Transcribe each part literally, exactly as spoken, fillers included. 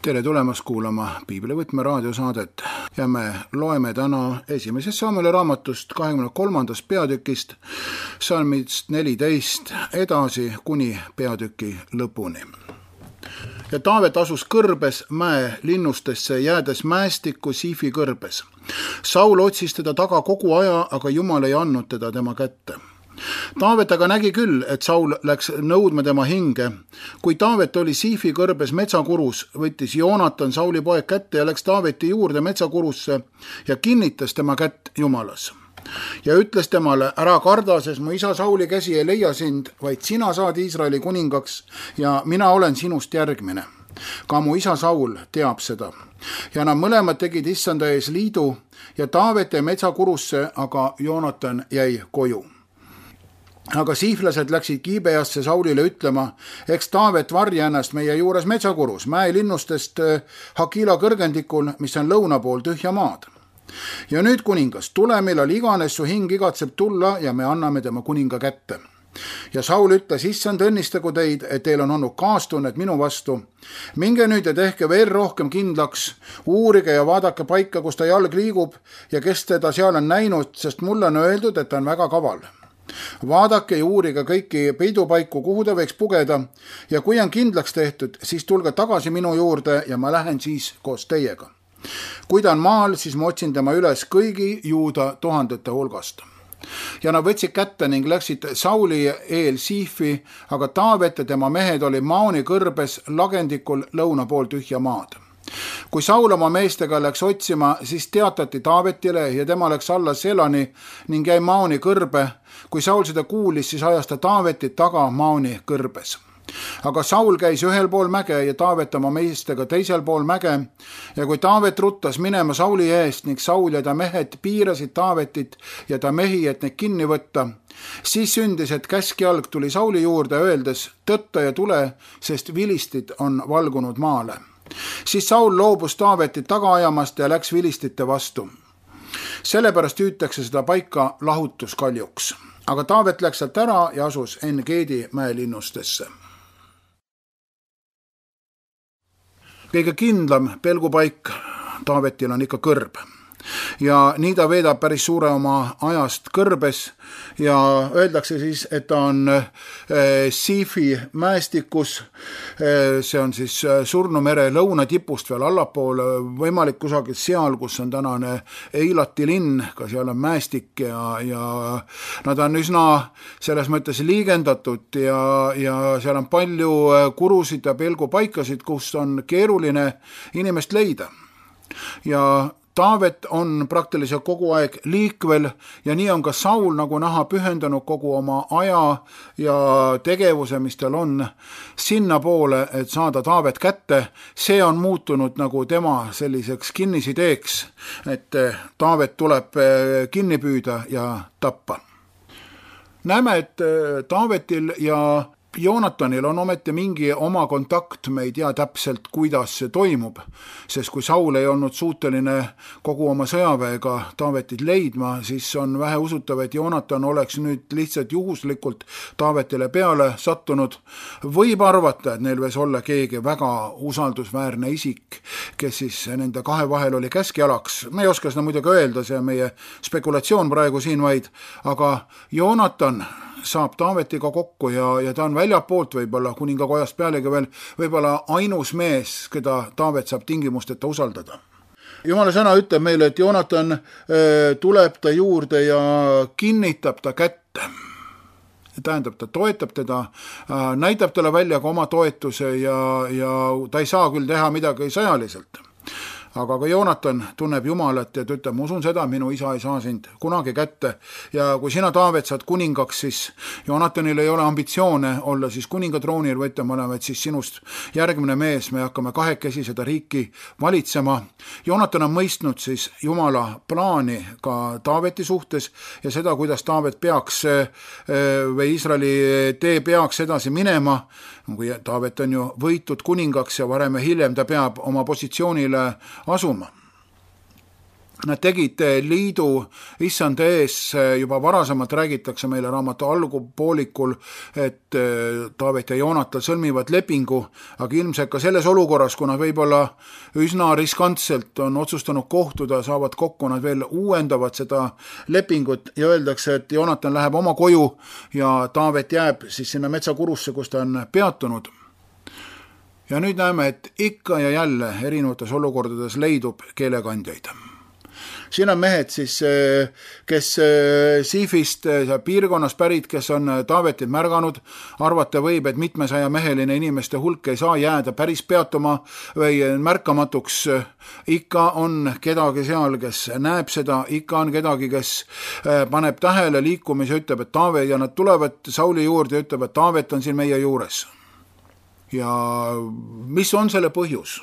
Tere tulemast kuulama Piiblivõtme raadiosaadet ja me loeme täna esimesest Samueli raamatust kahekümne kolmandast peatükist salmist neliteist edasi kuni peatüki lõpuni. Ja Taavet asus kõrbes mäe linnustesse, jäädes mäestikku Siifi kõrbes. Saul otsis teda taga kogu aja, aga Jumal ei andnud teda tema kätte. Taavet aga nägi küll, et Saul läks nõudma tema hinge. Kui Taavet oli Siifi kõrbes metsakurus, võttis Joonatan Sauli poeg kätte ja läks Taaveti juurde metsakurusse ja kinnitas tema kätt Jumalas. Ja ütles temale, ära karda, sest mu isa Sauli käsi ei leia sind, vaid sina saad Iisraeli kuningaks ja mina olen sinust järgmine. Ka mu isa Saul teab seda. Ja nad mõlemad tegid issanda ees liidu ja Taavet jäi metsakurusse, aga Joonatan jäi koju. Aga siiflased läksid Gibeasse Saulile ütlema, eks Taavet varja ennast meie juures metsakurus, mäe linnustest Hakila kõrgendikul, mis on lõuna pool tühja maad. Ja nüüd kuningas, tule millal iganes su hing igatseb tulla ja me anname tema kuninga kätte. Ja Saul ütles, issand õnnistagu teid, et teil on olnud kaastunnet minu vastu. Minge nüüd ja tehke veel rohkem kindlaks, uurige ja vaadake paika, kus ta jalg liigub ja kes teda seal on näinud, sest mulle on öeldud, et ta on väga kaval. Vaadake ja uurige kõiki peidupaiku, kuhu ta võiks pugeda ja kui on kindlaks tehtud, siis tulge tagasi minu juurde ja ma lähen siis koos teiega. Kui ta on maal, siis ma otsin tema üles kõigi juuda tuhandete hulgast. Ja nad võtsid kätte ning läksid Sauli eel Siifi, aga Taavet ja tema mehed oli Maoni kõrbes lagendikul lõuna pool tühja maad. Kui Saul oma meestega läks otsima, siis teatati Taavetile ja tema läks alla Selani ning jäi Maoni kõrbe. Kui Saul seda kuulis, siis ajas ta Taavetit taga Maoni kõrbes. Aga Saul käis ühel pool mäge ja Taavet oma meestega teisel pool mäge ja kui Taavet ruttas minema Sauli eest ning Saul ja ta mehed piirasid Taavetit ja ta mehi, et neid kinni võtta, siis sündis, et käskjalg tuli Sauli juurde öeldes, tõtta ja tule, sest vilistid on valgunud maale. Siis Saul loobus Taavetit taga ajamast ja läks vilistite vastu. Sellepärast hüütakse seda paika lahutuskaljuks. Aga Taavet läks sealt ära ja asus En-Geedi mäelinnustesse. Kõige kindlam pelgupaik Taavetil on ikka kõrb. Ja nii ta veedab päris suure oma ajast kõrbes ja öeldakse siis, et ta on Siifi mäestikus, see on siis Surnumere lõunatipust veel allapool, võimalik kusagil seal, kus on tänane Eilati linn, ka seal on mäestik ja, ja nad on üsna selles mõttes liigendatud ja, ja seal on palju kurusid ja pelgupaikasid, kus on keeruline inimest leida. Ja Taavet on praktiliselt kogu aeg liikvel ja nii on ka Saul nagu näha pühendanud kogu oma aja ja tegevuse, mis tal on sinna poole, et saada Taavet kätte. See on muutunud nagu tema selliseks kinnisideeks, et Taavet tuleb kinni püüda ja tappa. Näeme, et Taavetil ja Joonatanil on ometi mingi oma kontakt, me ei tea täpselt, kuidas see toimub, sest kui Saul ei olnud suuteline kogu oma sõjaväega Taavetit leidma, siis on vähe usutav, et Joonatan oleks nüüd lihtsalt juhuslikult Taavetile peale sattunud. Võib arvata, et neil võis olla keegi väga usaldusväärne isik, kes siis nende kahe vahel oli käskjalaks. Me ei oska seda muidugi öelda, see on meie spekulatsioon praegu siin vaid, aga Joonatan saab Taavetiga kokku ja, ja ta on väljapoolt võib-olla kuningakojast pealegi veel võib-olla ainus mees, keda Taavet saab tingimusteta usaldada. Jumala sõna ütleb meile, et Joonatan äh, tuleb ta juurde ja kinnitab ta kätte. Tähendab, ta toetab teda, äh, näitab talle välja ka oma toetuse ja, ja ta ei saa küll teha midagi sõjaliselt. Aga ka Joonatan tunneb Jumalat ja ta ütleb, ma usun seda, minu isa ei saa sind kunagi kätte. Ja kui sina, Taavet, saad kuningaks, siis Joonatanil ei ole ambitsioone olla siis kuningatroonil, võtta mõlemad siis sinust järgmine mees, me hakkame kahekesi seda riiki valitsema. Joonatan on mõistnud siis Jumala plaani ka Taaveti suhtes ja seda, kuidas Taavet peaks või Iisraeli tee peaks edasi minema, kui Taavet on ju võitud kuningaks ja varem ja hiljem ta peab oma positsioonile asuma. Nad tegid liidu issand ees, juba varasemalt räägitakse meile raamatu algupoolikul, et Taavet ja Joonatan sõlmivad lepingu, aga ilmselt ka selles olukorras, kui nad võib-olla üsna riskantselt on otsustanud kohtuda, saavad kokku, nad veel uuendavad seda lepingut ja öeldakse, et Joonatan läheb oma koju ja Taavet jääb siis sinna metsakurusse, kus ta on peatunud. Ja nüüd näeme, et ikka ja jälle erinevates olukordades leidub keelekandjaid. Siin on mehed siis, kes Siifist piirkonnas pärit, kes on Taavetit märganud, arvata võib, et mitmesaja meheline inimeste hulk ei saa jääda päris peatuma või märkamatuks. Ikka on kedagi seal, kes näeb seda, ikka on kedagi, kes paneb tähele liikumise, ütleb, et Taavet ja nad tulevad Sauli juurde ja ütleb, et Taavet on siin meie juures. Ja mis on selle põhjus?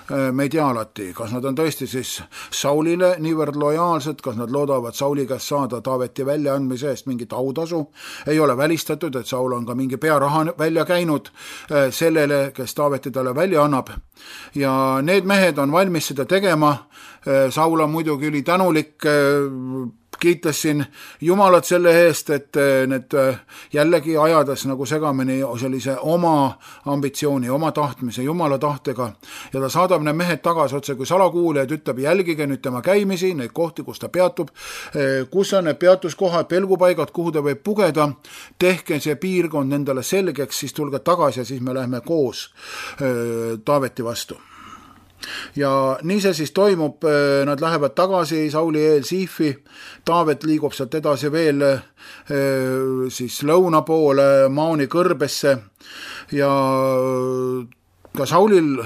Me ei tea alati, kas nad on tõesti siis Saulile niivõrd lojaalsed, kas nad loodavad Sauli käest saada Taaveti väljaandmise eest mingit autasu. Ei ole välistatud, et Saul on ka mingi pearaha välja käinud sellele, kes Taaveti talle välja annab. Ja need mehed on valmis seda tegema. Saul on muidugi üli tänulik, kiitas siin Jumalat selle eest, et need jällegi ajades nagu segamini sellise oma ambitsiooni, oma tahtmise, Jumala tahtega ja ta saadab need mehed tagasi otse kui salakuulijad, ütleb, jälgige nüüd tema käimisi, neid kohti, kus ta peatub, kus on need peatuskohad, pelgupaigad, kuhu ta võib pugeda, tehke see piirkond endale selgeks, siis tulge tagasi ja siis me lähme koos Taaveti vastu. Ja nii see siis toimub, nad lähevad tagasi Sauli eel Siifi, Taavet liigub sealt edasi veel siis lõuna poole Maoni kõrbesse ja ka Saulil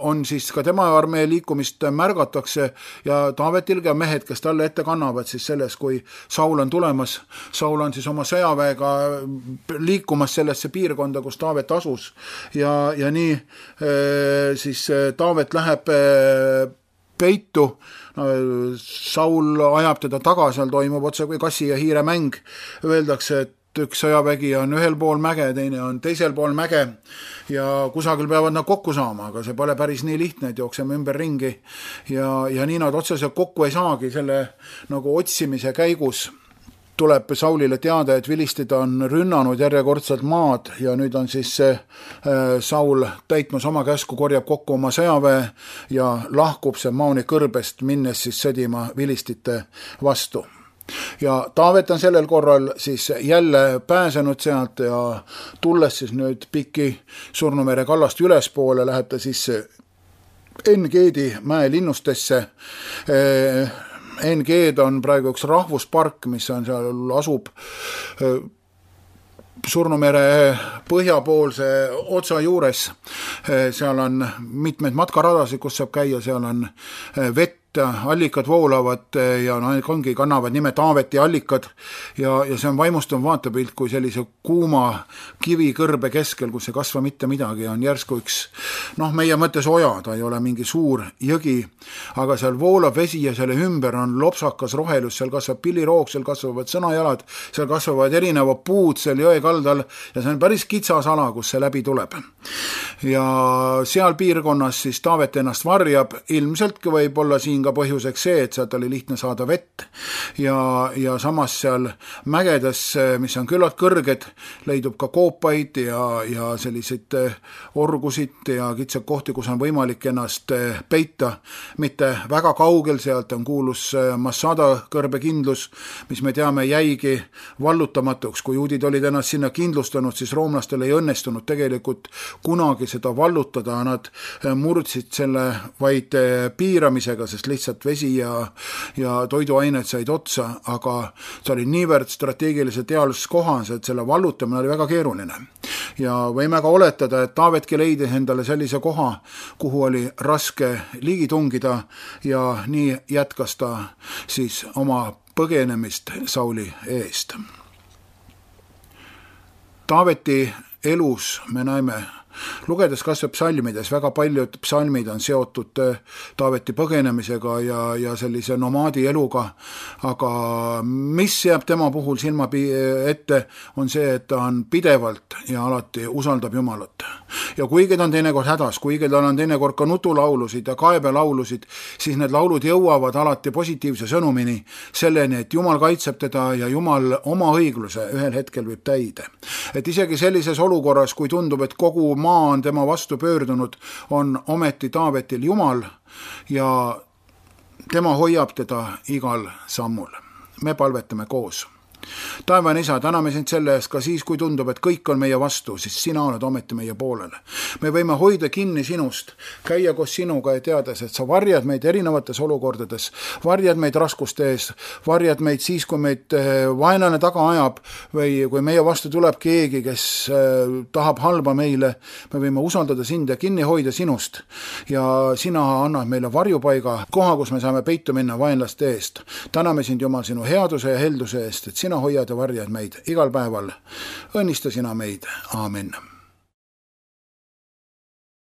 on siis ka tema armee liikumist märgatakse ja Taavetil ka mehed, kes talle ette kannavad siis selles, kui Saul on tulemas. Saul on siis oma sõjaväega liikumas sellesse piirkonda, kus Taavet asus ja, ja nii siis Taavet läheb peitu. Saul ajab teda taga, seal toimub otse kui kassi ja hiire mäng. Öeldakse, et üks sõjavägi on ühel pool mäge, teine on teisel pool mäge ja kusagil peavad nad kokku saama, aga see pole päris nii lihtne, et jookseme ümber ringi ja, ja nii nad otseselt kokku ei saagi. Selle nagu otsimise käigus tuleb Saulile teada, et vilistid on rünnanud järjekordselt maad ja nüüd on siis Saul täitmas oma käsku, korjab kokku oma sõjaväe ja lahkub see Maoni kõrbest, minnes siis sõdima vilistite vastu. Ja Taavet on sellel korral siis jälle pääsenud sealt ja tulles siis nüüd piki Surnumere kallast ülespoole, läheb ta siis En-Geedi mäe linnustesse. En-Geed on praegu üks rahvuspark, mis on seal, asub Surnumere põhjapoolse otsa juures. Seal on mitmed matkaradasid, kus saab käia, seal on vett, allikad voolavad ja ongi kannavad nime Taaveti allikad ja, ja see on vaimustav vaatepilt, kui sellise kuuma kivikõrbe keskel, kus ei kasva mitte midagi, on järsku üks, noh, meie mõttes oja, ta ei ole mingi suur jõgi, aga seal voolab vesi ja selle ümber on lopsakas rohelus, seal kasvab pilliroog, seal kasvavad sõnajalad, seal kasvavad erinevad puud seal jõe kaldal ja see on päris kitsas ala, kus see läbi tuleb. Ja seal piirkonnas siis Taavet ennast varjab, ilmseltki võib olla siin ka põhjuseks see, et sealt oli lihtne saada vett ja, ja samas seal mägedes, mis on küllalt kõrged, leidub ka koopaid ja, ja selliseid orgusid ja kitsad kohti, kus on võimalik ennast peita. Mitte väga kaugel sealt on kuulus Massada kõrbekindlus, mis me teame jäigi vallutamatuks. Kui juudid olid ennast sinna kindlustanud, siis roomlastel ei õnnestunud tegelikult kunagi seda vallutada. Nad murdsid selle vaid piiramisega, sest lihtsalt vesi ja, ja toiduained said otsa, aga see oli niivõrd strateegiliselt heas kohas, et selle vallutamine oli väga keeruline. Ja võime ka oletada, et Taavetki leidis endale sellise koha, kuhu oli raske ligi tungida ja nii jätkas ta siis oma põgenemist Sauli eest. Taaveti elus me näeme lugedes kas või psalmides, väga paljud psalmid on seotud Taaveti põgenemisega ja, ja sellise nomaadi eluga, aga mis jääb tema puhul silma ette, on see, et ta on pidevalt ja alati usaldab Jumalat. Ja kuigi ta on teinekord hädas, kuigi tal on teinekord ka nutulaulusid ja kaebelaulusid, siis need laulud jõuavad alati positiivse sõnumini, selleni, et Jumal kaitseb teda ja Jumal oma õigluse ühel hetkel võib täide. Et isegi sellises olukorras, kui tundub, et kogu maa on tema vastu pöördunud, on ometi Taavetil Jumal ja tema hoiab teda igal sammul. Me palvetame koos. Taevane Isa, täname sind selle eest ka siis, kui tundub, et kõik on meie vastu, siis sina oled ometi meie poolele. Me võime hoida kinni sinust, käia koos sinuga ja teades, et sa varjad meid erinevates olukordades, varjad meid raskuste ees, varjad meid siis, kui meid vaenlane taga ajab või kui meie vastu tuleb keegi, kes tahab halba meile, me võime usaldada sind ja kinni hoida sinust ja sina annad meile varjupaiga, koha, kus me saame peitu minna vaenlaste eest. Täname sind, Jumal, sinu headuse ja helduse eest, et sina hoiad ja varjad meid igal päeval. Õnnista sina meid. Aamen.